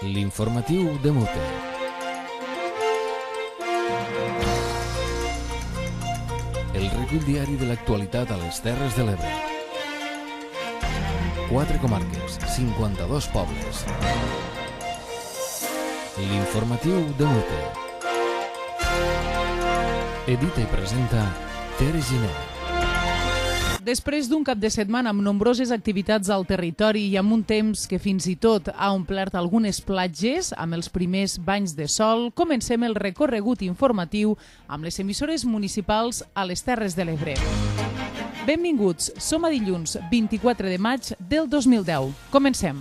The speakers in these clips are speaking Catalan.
L'informatiu de Mute. El recull diari de l'actualitat a les Terres de l'Ebre. 4 comarques, 52 pobles. L'informatiu de Mute. Edita i presenta Tere Giner. Després d'un cap de setmana amb nombroses activitats al territori i amb un temps que fins i tot ha omplert algunes platges amb els primers banys de sol, comencem el recorregut informatiu amb les emissores municipals a les Terres de l'Ebre. Benvinguts, som a dilluns 24 de maig del 2010. Comencem.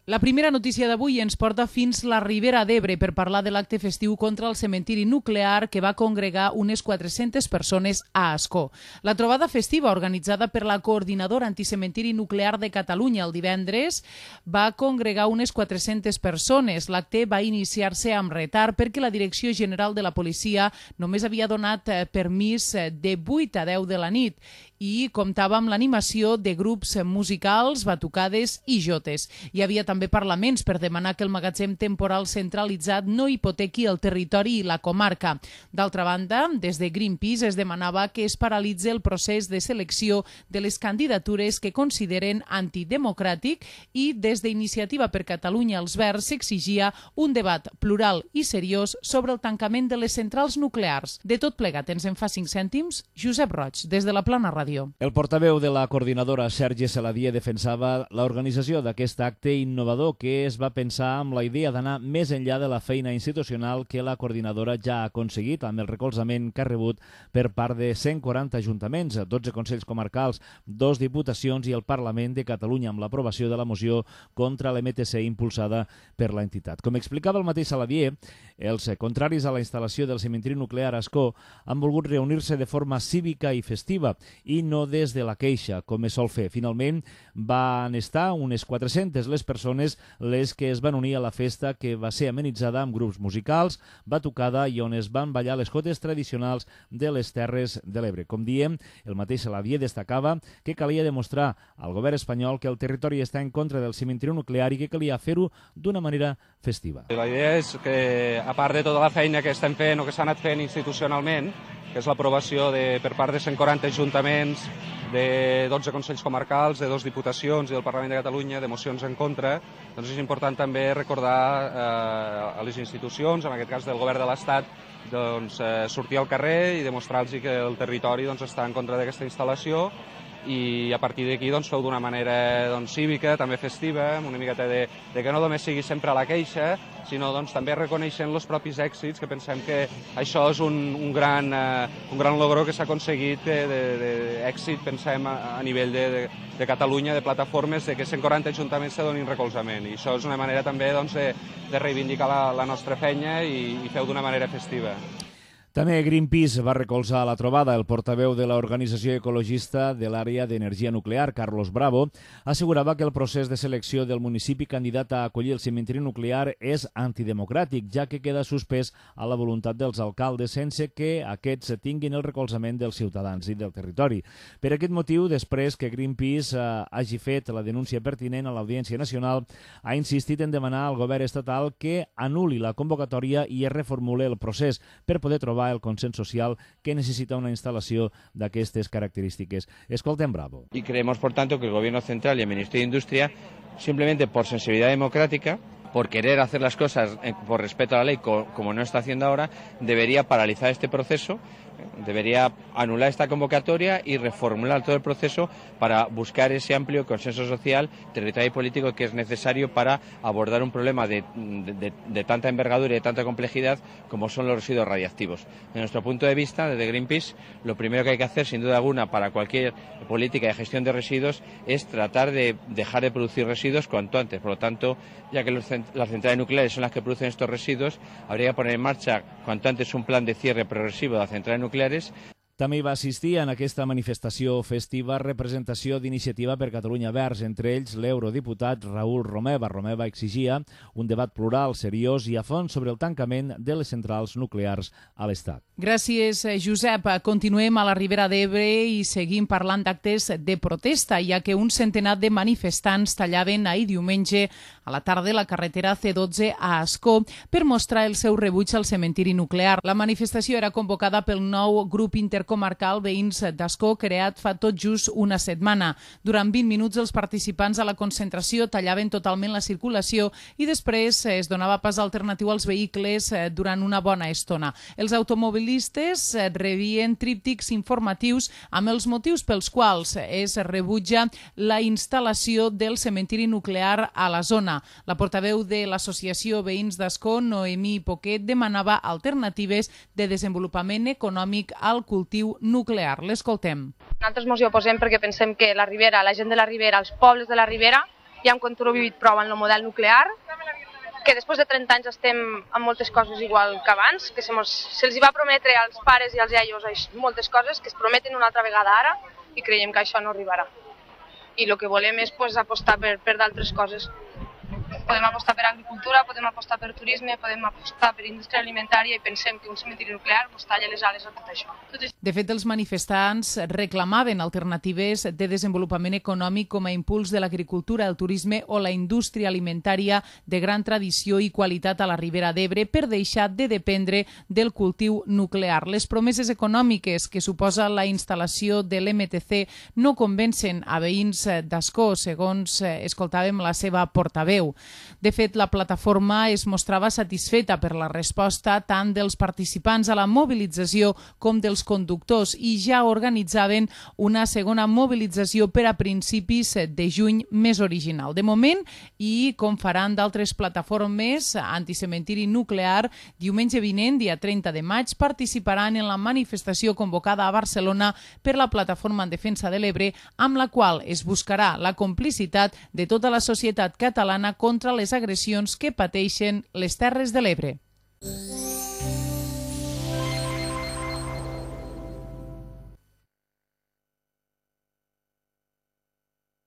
La primera notícia d'avui ens porta fins la Ribera d'Ebre per parlar de l'acte festiu contra el cementiri nuclear que va congregar unes 400 persones a Ascó. La trobada festiva organitzada per la Coordinadora Anticementiri Nuclear de Catalunya el divendres va congregar unes 400 persones. L'acte va iniciar-se amb retard perquè la Direcció General de la Policia només havia donat permís de 8 a 10 de la nit i comptava amb l'animació de grups musicals, batucades i jotes. Hi havia també parlaments per demanar que el magatzem temporal centralitzat no hipotequi el territori i la comarca. D'altra banda, des de Greenpeace es demanava que es paralitzi el procés de selecció de les candidatures que consideren antidemocràtic i des d'Iniciativa per Catalunya els Verds s'exigia un debat plural i seriós sobre el tancament de les centrals nuclears. De tot plegat ens en fa 5 cèntims, Josep Roig, des de la Plana Ràdio. El portaveu de la coordinadora, Sergi Saladier, defensava l'organització d'aquest acte innovador que es va pensar amb la idea d'anar més enllà de la feina institucional que la coordinadora ja ha aconseguit amb el recolzament que ha rebut per part de 140 ajuntaments, 12 consells comarcals, 2 diputacions i el Parlament de Catalunya amb l'aprovació de la moció contra l'MTC impulsada per l'entitat. Com explicava el mateix Saladier, els contraris a la instal·lació del cementiri nuclear a Ascó han volgut reunir-se de forma cívica i festiva i no des de la queixa, com es sol fer. Finalment, van estar unes 400 les persones les que es van unir a la festa que va ser amenitzada amb grups musicals, batucada i on es van ballar les jotes tradicionals de les Terres de l'Ebre. Com diem, el mateix Saladier destacava que calia demostrar al govern espanyol que el territori està en contra del cementiri nuclear i que calia fer-ho d'una manera festiva. La idea és que, a part de tota la feina que estem fent o que s'ha anat fent institucionalment, que és l'aprovació per part de 140 ajuntaments, de 12 consells comarcals, de 2 diputacions i del Parlament de Catalunya, de mocions en contra, doncs és important també recordar a les institucions, en aquest cas del govern de l'Estat, doncs, sortir al carrer i demostrar-los que el territori doncs, està en contra d'aquesta instal·lació i a partir d'aquí doncs, feu d'una manera doncs, cívica, també festiva, amb una miqueta de que no només sigui sempre a la queixa, sinó doncs, també reconeixent els propis èxits, que pensem que això és un gran logro que s'ha aconseguit d'èxit, pensem, a nivell de Catalunya, de plataformes, de que 140 ajuntaments se donin recolzament. I això és una manera també doncs, de reivindicar la nostra feina i feu d'una manera festiva. També Greenpeace va recolzar la trobada. El portaveu de l'organització ecologista de l'àrea d'energia nuclear, Carlos Bravo, assegurava que el procés de selecció del municipi candidat a acollir el cementiri nuclear és antidemocràtic, ja que queda suspès a la voluntat dels alcaldes sense que aquests tinguin el recolzament dels ciutadans i del territori. Per aquest motiu, després que Greenpeace hagi fet la denúncia pertinent a l'Audiència Nacional, ha insistit en demanar al govern estatal que anul·li la convocatòria i es reformule el procés per poder trobar el consens social que necesita una instalació d'aquestes característiques. Escoltem Bravo. Y creemos, por tanto, que el Gobierno Central y el Ministerio de Industria, simplemente por sensibilidad democrática, por querer hacer las cosas por respeto a la ley, como no está haciendo ahora, debería paralizar este proceso, debería anular esta convocatoria y reformular todo el proceso para buscar ese amplio consenso social, territorial y político que es necesario para abordar un problema de tanta envergadura y de tanta complejidad como son los residuos radiactivos. Desde nuestro punto de vista, desde Greenpeace, lo primero que hay que hacer, sin duda alguna, para cualquier política de gestión de residuos es tratar de dejar de producir residuos cuanto antes. Por lo tanto, ya que las centrales nucleares son las que producen estos residuos, habría que poner en marcha cuanto antes un plan de cierre progresivo de las centrales nucleares. També hi va assistir en aquesta manifestació festiva representació d'Iniciativa per Catalunya Verds, entre ells l'eurodiputat Raül Romeva. Romeva exigia un debat plural, seriós i a fons sobre el tancament de les centrals nuclears a l'Estat. Gràcies, Josep. Continuem a la Ribera d'Ebre i seguim parlant d'actes de protesta, ja que un centenar de manifestants tallaven ahir diumenge a la tarda la carretera C12 a Ascó per mostrar el seu rebuig al cementiri nuclear. La manifestació era convocada pel nou grup intercomarcal Veïns d'Ascó, creat fa tot just una setmana. Durant 20 minuts els participants a la concentració tallaven totalment la circulació i després es donava pas alternatiu als vehicles durant una bona estona. Els automobilistes rebien tríptics informatius amb els motius pels quals es rebutja la instal·lació del cementiri nuclear a la zona. La portaveu de l'Associació Veïns d'Ascó, Noemí Poquet, demanava alternatives de desenvolupament econòmic al cultiu nuclear. L'escoltem. Nosaltres ens hi oposem perquè pensem que la Ribera, la gent de la Ribera, els pobles de la Ribera, ja hem contribuït prou en el model nuclear, que després de 30 anys estem amb moltes coses igual que abans, que se'ls va prometre als pares i als iaios moltes coses que es prometen una altra vegada ara i creiem que això no arribarà. I el que volem és apostar per d'altres coses. Podem apostar per agricultura, podem apostar per turisme, podem apostar per indústria alimentària i pensem que un cementiri nuclear talla les ales a tot això. De fet, els manifestants reclamaven alternatives de desenvolupament econòmic com a impuls de l'agricultura, el turisme o la indústria alimentària de gran tradició i qualitat a la Ribera d'Ebre per deixar de dependre del cultiu nuclear. Les promeses econòmiques que suposa la instal·lació de l'MTC no convencen a Veïns d'Ascó, segons escoltàvem la seva portaveu. De fet, la plataforma es mostrava satisfeta per la resposta tant dels participants a la mobilització com dels conductors i ja organitzaven una segona mobilització per a principis de juny més original. De moment, i com faran d'altres plataformes anticementiri nuclear, diumenge vinent, dia 30 de maig, participaran en la manifestació convocada a Barcelona per la Plataforma en Defensa de l'Ebre, amb la qual es buscarà la complicitat de tota la societat catalana contra les agressions que pateixen les Terres de l'Ebre.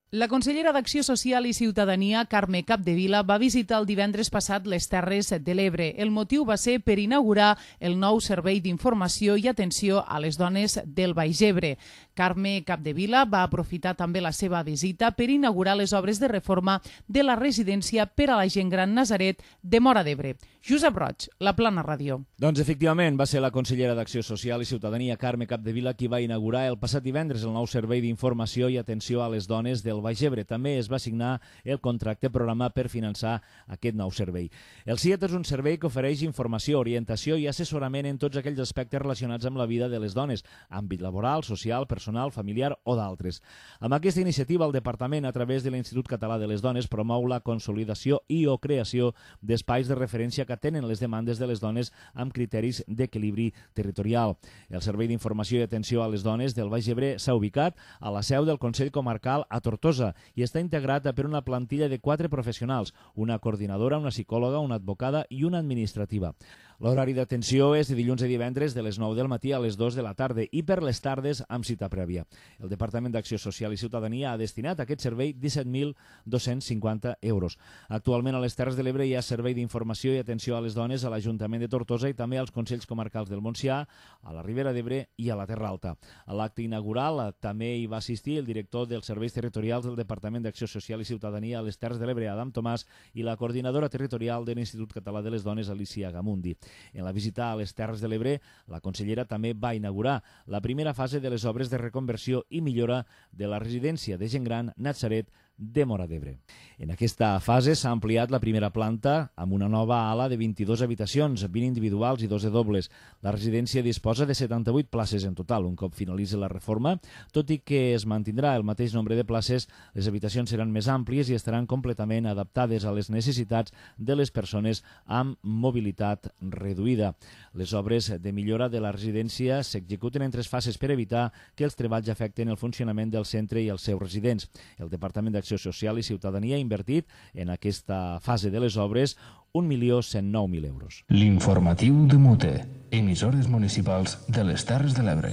La consellera d'Acció Social i Ciutadania, Carme Capdevila, va visitar el divendres passat les Terres de l'Ebre. El motiu va ser per inaugurar el nou servei d'informació i atenció a les dones del Baix Ebre. Carme Capdevila va aprofitar també la seva visita per inaugurar les obres de reforma de la residència per a la gent gran Nazaret de Móra d'Ebre. Josep Roig, La Plana Ràdio. Doncs efectivament va ser la consellera d'Acció Social i Ciutadania, Carme Capdevila, qui va inaugurar el passat divendres el nou servei d'informació i atenció a les dones del Baix Ebre. També es va signar el contracte programa per finançar aquest nou servei. El CIET és un servei que ofereix informació, orientació i assessorament en tots aquells aspectes relacionats amb la vida de les dones, àmbit laboral, social, personal, familiar o d'altres. Amb aquesta iniciativa, el Departament, a través de l'Institut Català de les Dones, promou la consolidació i o creació d'espais de referència que atenen les demandes de les dones amb criteris d'equilibri territorial. El Servei d'Informació i Atenció a les Dones del Baix Ebre s'ha ubicat a la seu del Consell Comarcal a Tortosa i està integrat per una plantilla de 4 professionals, una coordinadora, una psicòloga, una advocada i una administrativa. L'horari d'atenció és de dilluns a divendres de les 9 del matí a les 2 de la tarda i per les tardes amb cita prèvia. El Departament d'Acció Social i Ciutadania ha destinat a aquest servei 17.250 euros. Actualment a les Terres de l'Ebre hi ha servei d'informació i atenció a les dones a l'Ajuntament de Tortosa i també als Consells Comarcals del Montsià, a la Ribera d'Ebre i a la Terra Alta. A l'acte inaugural també hi va assistir el director dels serveis territorials del Departament d'Acció Social i Ciutadania a les Terres de l'Ebre, Adam Tomàs, i la coordinadora territorial de l'Institut Català de les Dones, Alicia Gamundi. En la visita a les Terres de l'Ebre, la consellera també va inaugurar la primera fase de les obres de reconversió i millora de la residència de gent gran Nazaret de Móra d'Ebre. En aquesta fase s'ha ampliat la primera planta amb una nova ala de 22 habitacions, 20 individuals i 2 de dobles. La residència disposa de 78 places en total. Un cop finalitzi la reforma, tot i que es mantindrà el mateix nombre de places, les habitacions seran més àmplies i estaran completament adaptades a les necessitats de les persones amb mobilitat reduïda. Les obres de millora de la residència s'executen en 3 fases per evitar que els treballs afecten el funcionament del centre i els seus residents. El Departament d'Acció Social i Ciutadania ha invertit en aquesta fase de les obres 1.109.000 euros. L'informatiu de Mute, emissores municipals de les Terres de l'Ebre.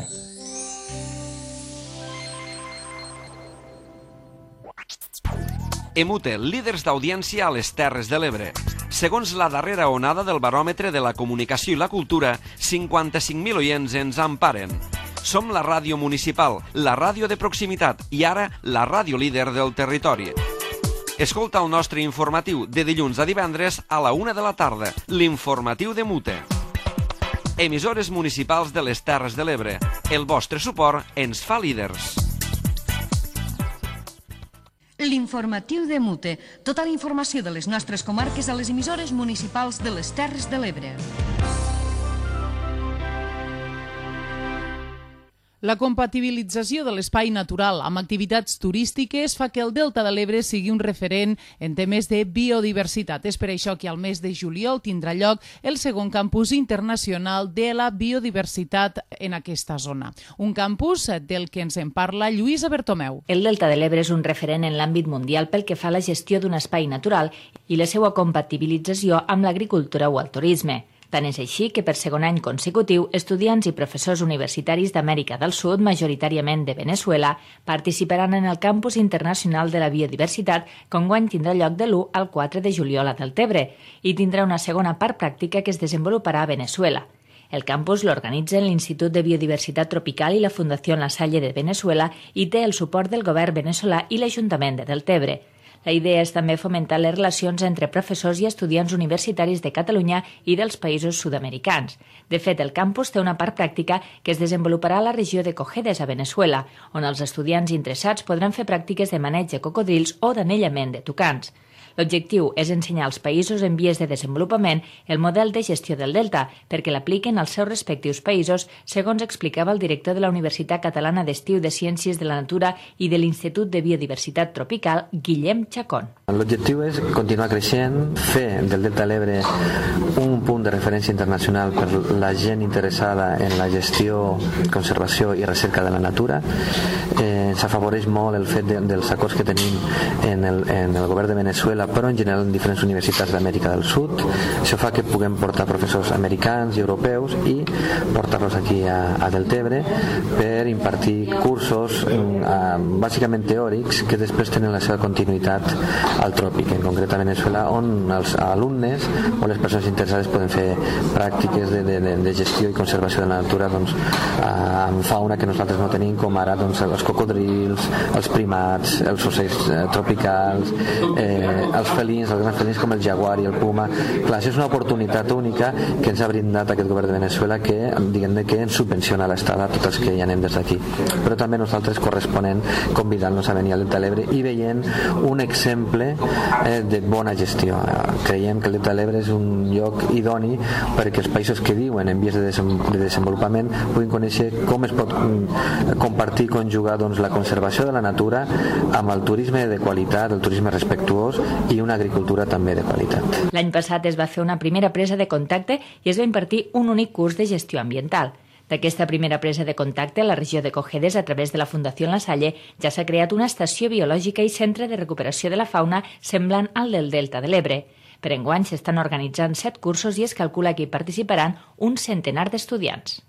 EMUTE, líders d'audiència a les Terres de l'Ebre. Segons la darrera onada del baròmetre de la comunicació i la cultura, 55.000 oients ens emparen. Som la ràdio municipal, la ràdio de proximitat i ara la ràdio líder del territori. Escolta el nostre informatiu de dilluns a divendres a la 1 de la tarda, l'informatiu d'EMUTE. Emissores municipals de les Terres de l'Ebre. El vostre suport ens fa líders. L'informatiu d'EMUTE. Tota la informació de les nostres comarques a les emissores municipals de les Terres de l'Ebre. La compatibilització de l'espai natural amb activitats turístiques fa que el Delta de l'Ebre sigui un referent en temes de biodiversitat. És per això que al mes de juliol tindrà lloc el segon campus internacional de la biodiversitat en aquesta zona. Un campus del que ens en parla Lluïsa Bertomeu. El Delta de l'Ebre és un referent en l'àmbit mundial pel que fa a la gestió d'un espai natural i la seva compatibilització amb l'agricultura o el turisme. Tant és així que per segon any consecutiu, estudiants i professors universitaris d'Amèrica del Sud, majoritàriament de Veneçuela, participaran en el Campus Internacional de la Biodiversitat, que enguany tindrà lloc de l'1 al 4 de juliol a Deltebre, i tindrà una segona part pràctica que es desenvoluparà a Veneçuela. El campus l'organitzen l'Institut de Biodiversitat Tropical i la Fundació La Salle de Veneçuela i té el suport del govern veneçolà i l'Ajuntament de Deltebre. La idea és també fomentar les relacions entre professors i estudiants universitaris de Catalunya i dels països sud-americans. De fet, el campus té una part pràctica que es desenvoluparà a la regió de Cojedes, a Veneçuela, on els estudiants interessats podran fer pràctiques de maneig de cocodrils o d'anellament de tucans. L'objectiu és ensenyar als països en vies de desenvolupament el model de gestió del delta perquè l'apliquen als seus respectius països, segons explicava el director de la Universitat Catalana d'Estiu de Ciències de la Natura i de l'Institut de Biodiversitat Tropical, Guillem Chacón. L'objectiu és continuar creixent, fer del Delta de l'Ebre un punt de referència internacional per la gent interessada en la gestió, conservació i recerca de la natura. Ens afavoreix molt el fet dels acords que tenim en el govern de Veneçuela, però en general en diferents universitats d'Amèrica del Sud. Això fa que puguem portar professors americans i europeus i portar-los aquí a Deltebre per impartir cursos bàsicament teòrics que després tenen la seva continuïtat al tròpic, en concret a Veneçuela, on els alumnes o les persones interessades poden fer pràctiques de gestió i conservació de la natura amb fauna que nosaltres no tenim, com ara els cocodrils, els primats, els ocells tropicals, els felins, els grans felins com el jaguar i el puma. Clar, això és una oportunitat única que ens ha brindat aquest govern de Veneçuela que, diguem-ne, que ens subvenciona l'estada a tots els que hi anem des d'aquí. Però també nosaltres corresponent convidant-nos a venir al Delta de l'Ebre i veient un exemple de bona gestió. Creiem que el Delta de l'Ebre és un lloc idoni perquè els països que viuen en vies de desenvolupament puguin conèixer com es pot compartir, conjugar la conservació de la natura amb el turisme de qualitat, el turisme respectuós i una agricultura també de qualitat. L'any passat es va fer una primera presa de contacte i es va impartir un únic curs de gestió ambiental. D'aquesta primera presa de contacte a la regió de Cojedes, a través de la Fundació La Salle, ja s'ha creat una estació biològica i centre de recuperació de la fauna semblant al del Delta de l'Ebre. Per enguany s'estan organitzant 7 cursos i es calcula que hi participaran un centenar d'estudiants.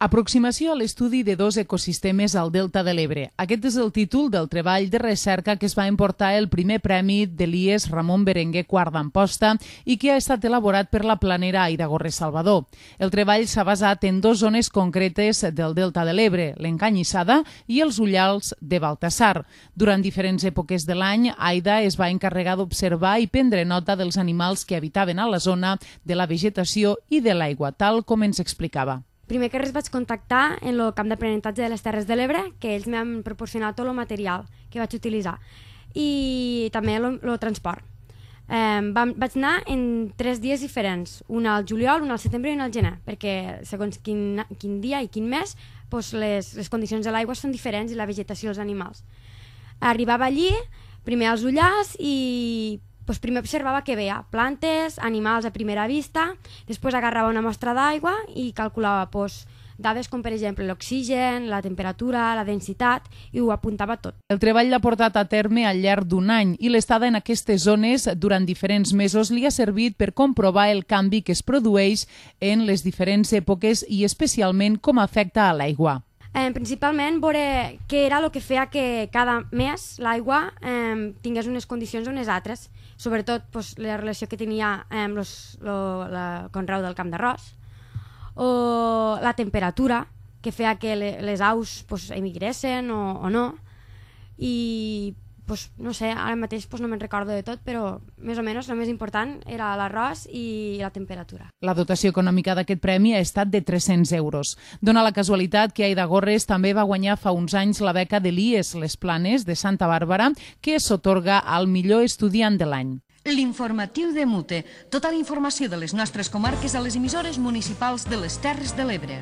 Aproximació a l'estudi de 2 ecosistemes al Delta de l'Ebre. Aquest és el títol del treball de recerca que es va emportar el primer premi de l'IES Ramon Berenguer Quart d'Amposta i que ha estat elaborat per la planera Aida Gorrés Salvador. El treball s'ha basat en 2 zones concretes del Delta de l'Ebre, l'Encanyissada i els Ullals de Baltasar. Durant diferents èpoques de l'any, Aida es va encarregar d'observar i prendre nota dels animals que habitaven a la zona, de la vegetació i de l'aigua, tal com ens explicava. Primer que res vaig contactar en el camp d'aprenentatge de les Terres de l'Ebre, que ells m'han proporcionat tot el material que vaig utilitzar, i també el transport. Vaig anar en 3 dies diferents, un al juliol, un al setembre i un al gener, perquè segons quin dia i quin mes les condicions de l'aigua són diferents i la vegetació dels animals. Arribava allí, primer als Ullars i primer observava què veia, plantes, animals a primera vista, després agarrava una mostra d'aigua i calculava dades com per exemple l'oxigen, la temperatura, la densitat i ho apuntava tot. El treball l'ha portat a terme al llarg d'un any i l'estada en aquestes zones durant diferents mesos li ha servit per comprovar el canvi que es produeix en les diferents èpoques i especialment com afecta a l'aigua. Principalment veure què era el que feia que cada mes l'aigua tingués unes condicions o unes altres, sobretot la relació que tenia amb el conreu del camp d'arròs, o la temperatura que feia que les aus emigressin o no, i no sé, ara mateix no me'n recordo de tot, però més o menys el més important era l'arròs i la temperatura. La dotació econòmica d'aquest premi ha estat de 300 euros. Dóna la casualitat que Aida Gorres també va guanyar fa uns anys la beca de l'IES Les Planes de Santa Bàrbara, que s'atorga al millor estudiant de l'any. L'informatiu de Mute. Tota la informació de les nostres comarques a les emissores municipals de les Terres de l'Ebre.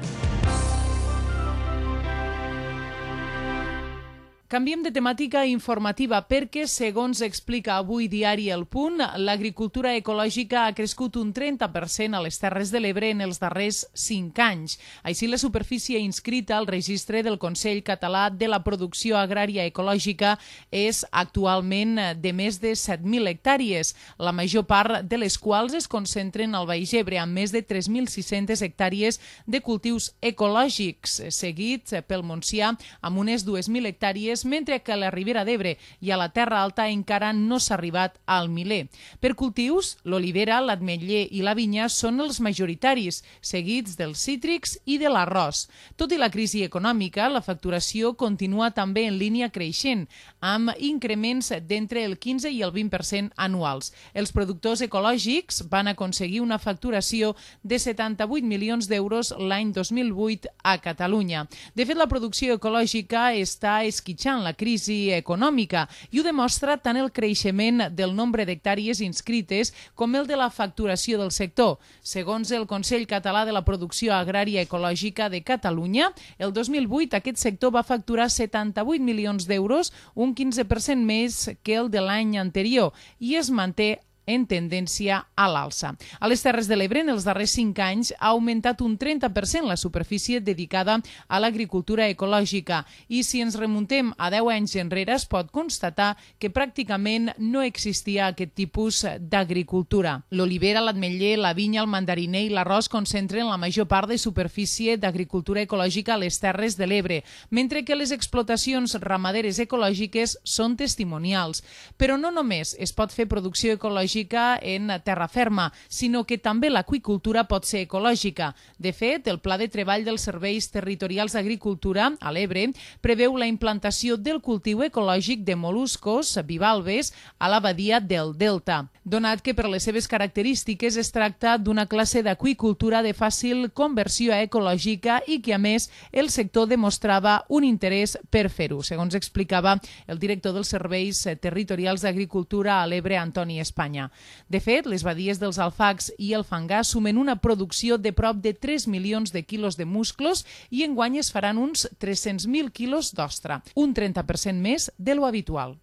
Canviem de temàtica informativa perquè, segons explica avui Diari El Punt, l'agricultura ecològica ha crescut un 30% a les Terres de l'Ebre en els darrers 5 anys. Així, la superfície inscrita al registre del Consell Català de la Producció Agrària Ecològica és actualment de més de 7.000 hectàrees, la major part de les quals es concentren al Baix Ebre, amb més de 3.600 hectàrees de cultius ecològics, seguits pel Montsià amb unes 2.000 hectàrees, mentre que a la Ribera d'Ebre i a la Terra Alta encara no s'ha arribat al miler. Per cultius, l'olivera, l'ametller i la vinya són els majoritaris, seguits dels cítrics i de l'arròs. Tot i la crisi econòmica, la facturació continua també en línia creixent, amb increments d'entre el 15 i el 20% anuals. Els productors ecològics van aconseguir una facturació de 78 milions d'euros l'any 2008 a Catalunya. De fet, la producció ecològica està esquitxant la crisi econòmica i ho demostra tant el creixement del nombre d'hectàrees inscrites com el de la facturació del sector. Segons el Consell Català de la Producció Agrària Ecològica de Catalunya, el 2008 aquest sector va facturar 78 milions d'euros, un 15% més que el de l'any anterior, i es manté en tendència a l'alça. A les Terres de l'Ebre, en els darrers 5 anys, ha augmentat un 30% la superfície dedicada a l'agricultura ecològica i si ens remuntem a 10 anys enrere es pot constatar que pràcticament no existia aquest tipus d'agricultura. L'olivera, l'ametller, la vinya, el mandariner i l'arròs concentren la major part de superfície d'agricultura ecològica a les Terres de l'Ebre, mentre que les explotacions ramaderes ecològiques són testimonials. Però no només es pot fer producció ecològica en terra ferma, sinó que també l'aqüicultura pot ser ecològica. De fet, el Pla de Treball dels Serveis Territorials d'Agricultura a l'Ebre preveu la implantació del cultiu ecològic de mol·luscos bivalves a la badia del Delta, donat que per les seves característiques es tracta d'una classe d'aqüicultura de fàcil conversió ecològica i que, a més, el sector demostrava un interès per fer-ho, segons explicava el director dels Serveis Territorials d'Agricultura a l'Ebre, Antoni Espanya. De fet, les badies dels Alfacs i el Fangar sumen una producció de prop de 3 milions de quilos de musclos i enguany es faran uns 300.000 quilos d'ostra, un 30% més de lo habitual.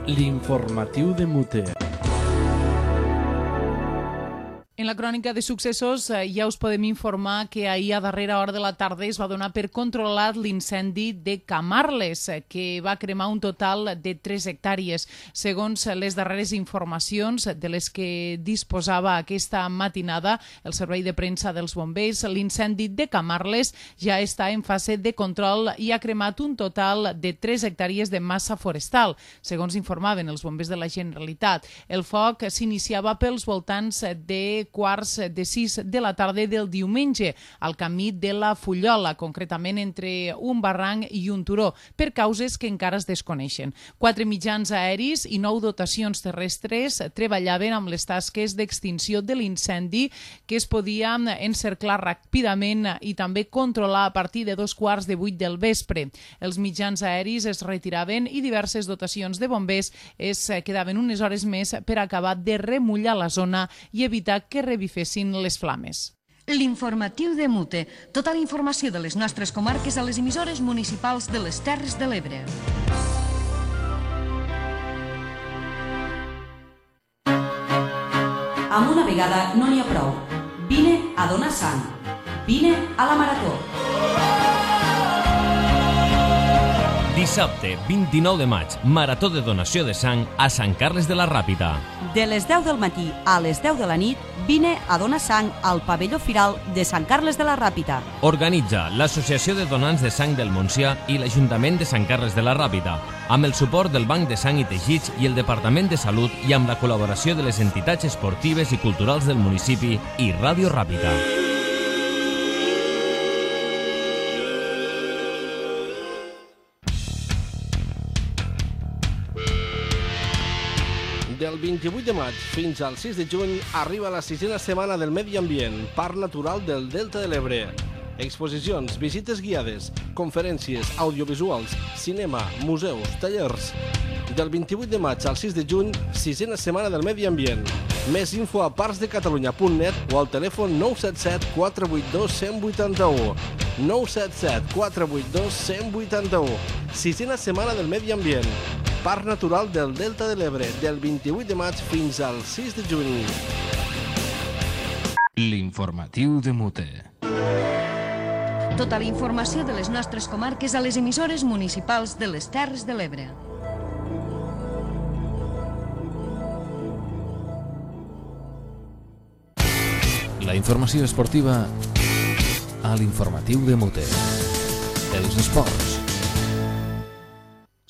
L'informatiu de Mute. En la crònica de successos ja us podem informar que ahir a darrera hora de la tarda es va donar per controlat l'incendi de Camarles, que va cremar un total de 3 hectàrees. Segons les darreres informacions de les que disposava aquesta matinada el servei de premsa dels bombers, l'incendi de Camarles ja està en fase de control i ha cremat un total de 3 hectàrees de massa forestal, segons informaven els bombers de la Generalitat. El foc s'iniciava pels voltants de quarts de 6 de la tarda del diumenge al camí de la Fullola, concretament entre un barranc i un turó, per causes que encara es desconeixen. 4 mitjans aeris i 9 dotacions terrestres treballaven amb les tasques d'extinció de l'incendi que es podia encerclar ràpidament i també controlar a partir de 2:15 del vespre. Els mitjans aeris es retiraven i diverses dotacions de bombers es quedaven unes hores més per acabar de remullar la zona i evitar que revifessin les flames. L'informatiu de Mute. Tota la informació de les nostres comarques a les emissores municipals de les Terres de l'Ebre. Amb una vegada no n'hi ha prou. Vine a donar sang. Vine a la marató. Dissabte, 29 de maig, marató de donació de sang a Sant Carles de la Ràpita. De les 10 del matí a les 10 de la nit, vine a donar sang al pavelló firal de Sant Carles de la Ràpita. Organitza l'Associació de Donants de Sang del Montsià i l'Ajuntament de Sant Carles de la Ràpita, amb el suport del Banc de Sang i Teixits i el Departament de Salut i amb la col·laboració de les entitats esportives i culturals del municipi i Ràdio Ràpita. Del 28 de maig fins al 6 de juny arriba la 6a Setmana del Medi Ambient, Parc Natural del Delta de l'Ebre. Exposicions, visites guiades, conferències, audiovisuals, cinema, museus, tallers. Del 28 de maig al 6 de juny, 6a Setmana del Medi Ambient. Més info a parcsdecatalunya.net o al telèfon 977 482 181. 977 482 181. 6a Setmana del Medi Ambient. Parc Natural del Delta de l'Ebre, del 28 de maig fins al 6 de juny. L'informatiu de Mute. Tota la informació de les nostres comarques a les emissores municipals de les Terres de l'Ebre. La informació esportiva a l'informatiu de Mute. Els esports.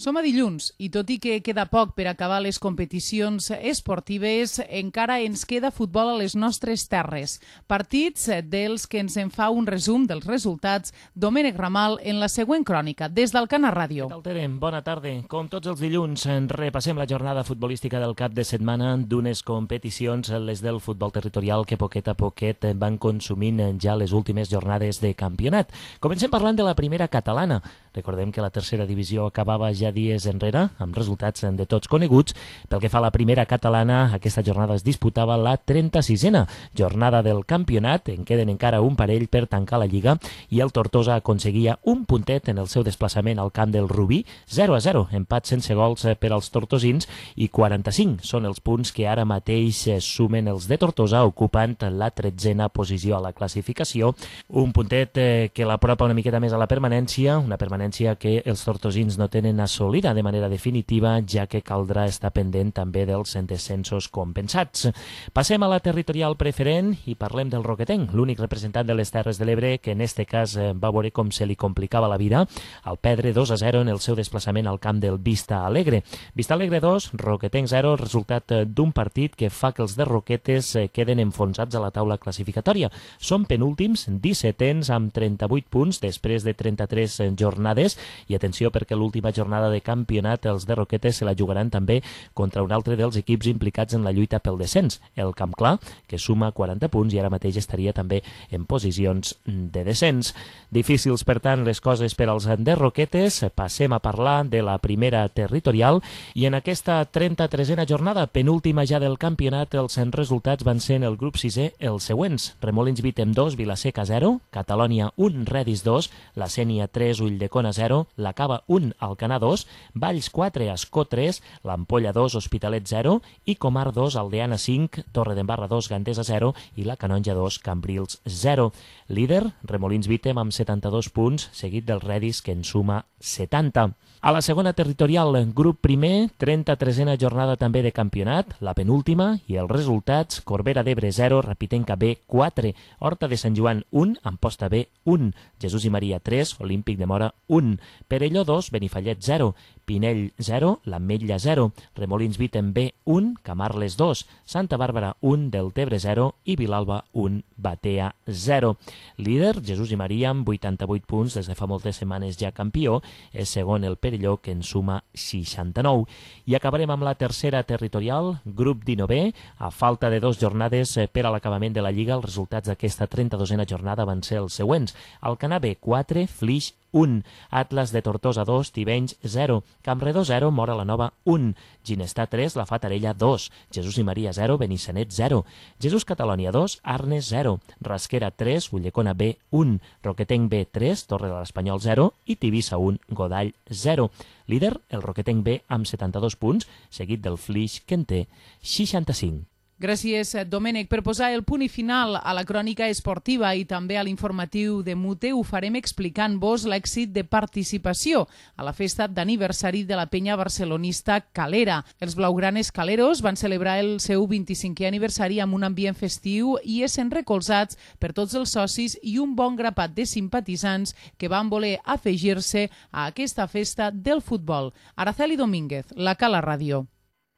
Som a dilluns i tot i que queda poc per acabar les competicions esportives, encara ens queda futbol a les nostres terres. Partits dels que ens en fa un resum dels resultats Domènec Ramal en la següent crònica, des d'Alcana Ràdio. Què tal, Tere? Bona tarda. Com tots els dilluns, repassem la jornada futbolística del cap de setmana d'unes competicions, les del futbol territorial, que poquet a poquet van consumint ja les últimes jornades de campionat. Comencem parlant de la primera catalana. Recordem que la tercera divisió acabava ja dies enrere, amb resultats de tots coneguts. Pel que fa a la primera catalana, aquesta jornada es disputava la 36a jornada del campionat. En queden encara un parell per tancar la Lliga i el Tortosa aconseguia un puntet en el seu desplaçament al camp del Rubí, 0-0, empat sense gols per als tortosins, i 45 són els punts que ara mateix sumen els de Tortosa, ocupant la 13a posició a la classificació. Un puntet que l'apropa una miqueta més a la permanència, una permanència que els tortosins no tenen assolida de manera definitiva, ja que caldrà estar pendent també dels descensos compensats. Passem a la territorial preferent i parlem del Roquetenc, l'únic representant de les Terres de l'Ebre que en este cas va veure com se li complicava la vida al perdre 2-0 en el seu desplaçament al camp del Vista Alegre. Vista Alegre 2, Roquetenc 0, resultat d'un partit que fa que els de Roquetes queden enfonsats a la taula classificatòria. Són penúltims, 17ens amb 38 punts després de 33 jornades, i atenció perquè l'última jornada de campionat els de Roquetes se la jugaran també contra un altre dels equips implicats en la lluita pel descens, el Camp Clar, que suma 40 punts i ara mateix estaria també en posicions de descens. Difícils, per tant, les coses per als de Roquetes. Passem a parlar de la primera territorial i en aquesta 33a jornada, penúltima ja del campionat, els resultats van ser en el grup 6è els següents: Remolins Vítem 2, Vilaseca 0, Catalònia 1, Redis 2, la Sénia 3, Ulldecona 0, la Cava 1, Alcanar 2, Valls 4, Ascó 3, l'Ampolla 2, Hospitalet 0 i Comar 2, Aldeana 5, Torredembarra 2, Gandesa 0 i la Canonja 2, Cambrils 0. Líder, Remolins Vítem amb 72 punts, seguit del Redis que en suma 70. A la segona territorial, grup primer, 33a jornada també de campionat, la penúltima, i els resultats: Corbera d'Ebre 0, Rapitenca B 4, Horta de Sant Joan 1, Amposta B 1, Jesús i Maria 3, Olímpic de Mora 1, Perelló 2, Benifallet 0, Pinell 0, l'Ametlla 0, Remolins Vítem B 1, Camarles 2, Santa Bàrbara 1, Deltebre 0 i Vilalba 1, Batea 0. Líder, Jesús i Maria amb 88 punts, des de fa moltes setmanes ja campió, és segon el Perelló que en suma 69. I acabarem amb la tercera territorial, grup 19è, a falta de 2 jornades per a l'acabament de la Lliga. Els resultats d'aquesta 32a jornada van ser els següents: Alcanar B 4, Flix 1, Atlas de Tortosa 2, Tivenys 0, Campredó 0, Mora la Nova 1, Ginestà 3, La Fatarella 2, Jesús i Maria 0, Benissanet 0, Jesús Catalònia 2, Arnes 0, Rasquera 3, Ulldecona B 1, Roquetenc B 3, Torre de l'Espanyol 0 i Tivissa 1, Godall 0. Líder, el Roquetenc B amb 72 punts, seguit del Flix que en té 65. Gràcies, Domènec. Per posar el punt i final a la crònica esportiva i també a l'informatiu de Mute, ho farem explicant-vos l'èxit de participació a la festa d'aniversari de la penya barcelonista Calera. Els blaugranes caleros van celebrar el seu 25è aniversari amb un ambient festiu i essent recolzats per tots els socis i un bon grapat de simpatitzants que van voler afegir-se a aquesta festa del futbol. Araceli Domínguez, la Cala Ràdio.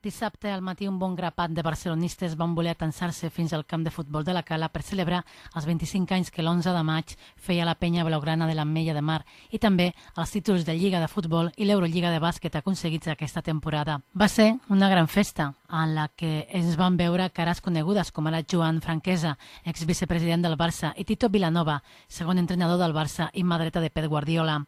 Dissabte al matí un bon grapat de barcelonistes van voler atansar-se fins al camp de futbol de la Cala per celebrar els 25 anys que l'11 de maig feia la penya blaugrana de l'Ametlla de Mar i també els títols de Lliga de Futbol i l'Eurolliga de Bàsquet aconseguits aquesta temporada. Va ser una gran festa en la que ens van veure cares conegudes com ara Joan Franquesa, exvicepresident del Barça, i Tito Vilanova, segon entrenador del Barça i mà dreta de Pep Guardiola.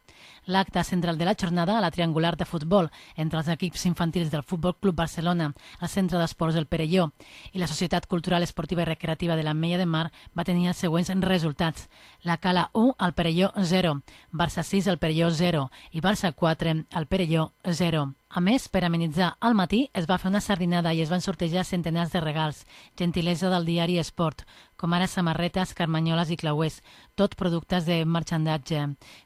L'acte central de la jornada a la triangular de futbol entre els equips infantils del Futbol Club Barcelona, el Centre d'Esports del Perelló i la Societat Cultural Esportiva i Recreativa de l'Ametlla de Mar va tenir els següents resultats. La Cala 1, el Perelló 0, Barça 6, el Perelló 0 i Barça 4, el Perelló 0. A més, per amenitzar al matí, es va fer una sardinada i es van sortejar centenars de regals, gentilesa del diari Esport, com ara samarretes, carmanyoles i clauers, tot productes de marxandatge.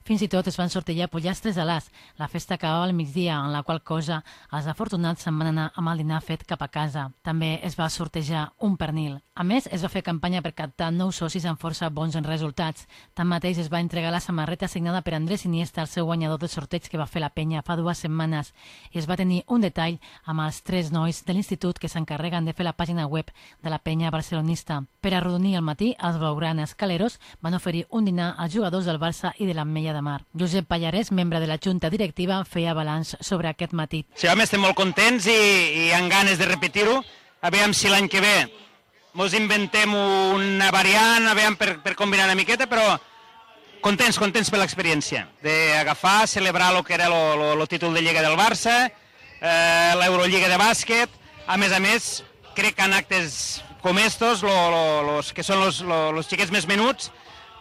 Fins i tot es van sortejar pollastres a l'as. La festa acabava al migdia, en la qual cosa els afortunats se'n van anar amb el dinar fet cap a casa. També es va sortejar un pernil. A més, es va fer campanya per captar nous socis amb força bons resultats. Tanmateix, es va entregar la samarreta signada per Andrés Iniesta, el seu guanyador del sorteig que va fer la penya fa 2 setmanes. I es va tenir un detall amb els 3 nois de l'institut que s'encarreguen de fer la pàgina web de la penya barcelonista. Per arrodonir al matí, els blaugranes caleros van oferir un dinar als jugadors del Barça i de l'Ametlla de Mar. Josep Pallarès, membre de la Junta Directiva, feia balanç sobre aquest matí. Sí, home, estem molt contents i amb ganes de repetir-ho. Aviam si l'any que ve ens inventem una variant, aviam per combinar una miqueta, però contents per l'experiència d'agafar, celebrar el que era el títol de Lliga del Barça, l'Eurolliga de Bàsquet. A més, crec que en actes com estos, que són els xiquets més menuts,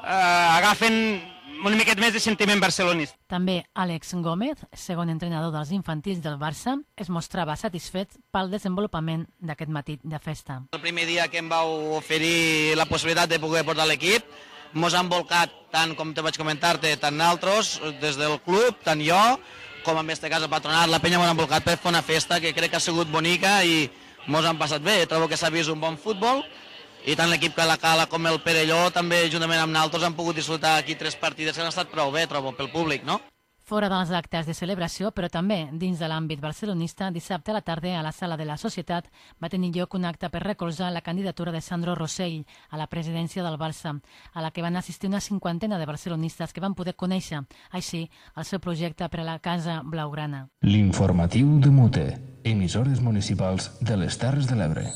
agafen una miqueta més de sentiment barcelonista. També Àlex Gómez, segon entrenador dels infantils del Barça, es mostrava satisfet pel desenvolupament d'aquest matí de festa. El primer dia que em vau oferir la possibilitat de poder portar l'equip, mos han volcat, tant com te vaig comentar-te, tant altres, des del club, tant jo, com en aquest cas el patronat, la penya mos han volcat per fer una festa que crec que ha sigut bonica i mos han passat bé. Trobo que s'ha vist un bon futbol i tant l'equip que la Cala com el Perelló també, juntament amb nosaltres, han pogut disfrutar aquí 3 partides que han estat prou bé, trobo, pel públic, no? Fora dels actes de celebració, però també dins de l'àmbit barcelonista, dissabte a la tarda a la Sala de la Societat va tenir lloc un acte per recolzar la candidatura de Sandro Rosell a la presidència del Barça, a la que van assistir una 50ena de barcelonistes que van poder conèixer, així, el seu projecte per a la Casa Blaugrana. L'informatiu de Mute, emissores municipals de les Terres de l'Ebre.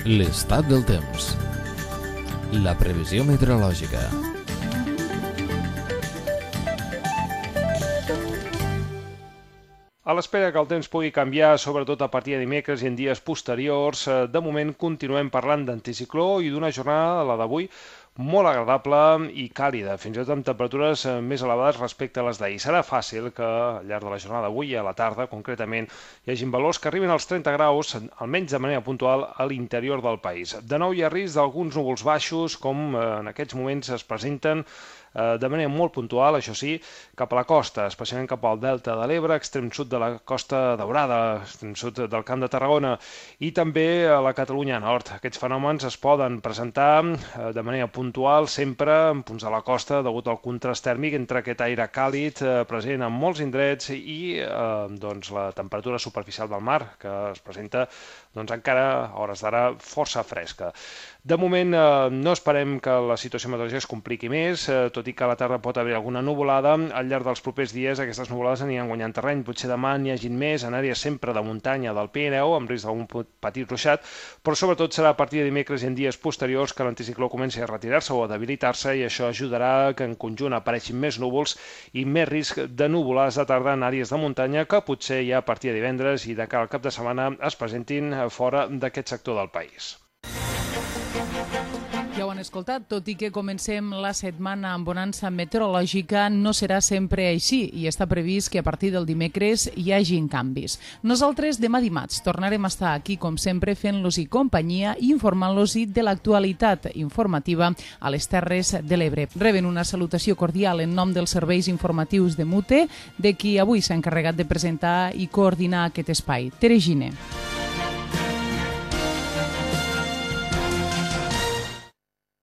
L'estat del temps. La previsió meteorològica. A l'espera que el temps pugui canviar, sobretot a partir de dimecres i en dies posteriors, de moment continuem parlant d'anticicló i d'una jornada, la d'avui, molt agradable i càlida, fins i tot amb temperatures més elevades respecte a les d'ahir. Serà fàcil que al llarg de la jornada d'avui i a la tarda, concretament, hi hagi valors que arriben als 30 graus, almenys de manera puntual, a l'interior del país. De nou hi ha risc d'alguns núvols baixos, com en aquests moments es presenten de manera molt puntual, això sí, cap a la costa, especialment cap al delta de l'Ebre, extrem sud de la Costa Daurada, extrem sud del Camp de Tarragona i també a la Catalunya Nord. Aquests fenòmens es poden presentar de manera puntual sempre en punts de la costa degut al contrast tèrmic entre aquest aire càlid present en molts indrets i la temperatura superficial del mar, que es presenta encara a hores d'ara força fresca. De moment no esperem que la situació meteorològica es compliqui més, tot i que a la tarda pot haver alguna nuvolada. Al llarg dels propers dies aquestes nuvolades aniran guanyant terreny. Potser demà n'hi hagin més en àrees sempre de muntanya del Pirineu, amb risc d'algun petit ruixat, però sobretot serà a partir de dimecres i en dies posteriors que l'anticicló comenci a retirar-se o a debilitar-se i això ajudarà que en conjunt apareixin més núvols i més risc de nuvolades de tarda en àrees de muntanya que potser ja a partir de divendres i de cara al cap de setmana es presentin fora d'aquest sector del país. Ja ho han escoltat, tot i que comencem la setmana amb bonança meteorològica, no serà sempre així i està previst que a partir del dimecres hi hagin canvis. Nosaltres demà dimarts tornarem a estar aquí, com sempre, fent-los-hi companyia i informant-los-hi de l'actualitat informativa a les Terres de l'Ebre. Reben una salutació cordial en nom dels serveis informatius de MUTE, de qui avui s'ha encarregat de presentar i coordinar aquest espai, Tere Gine.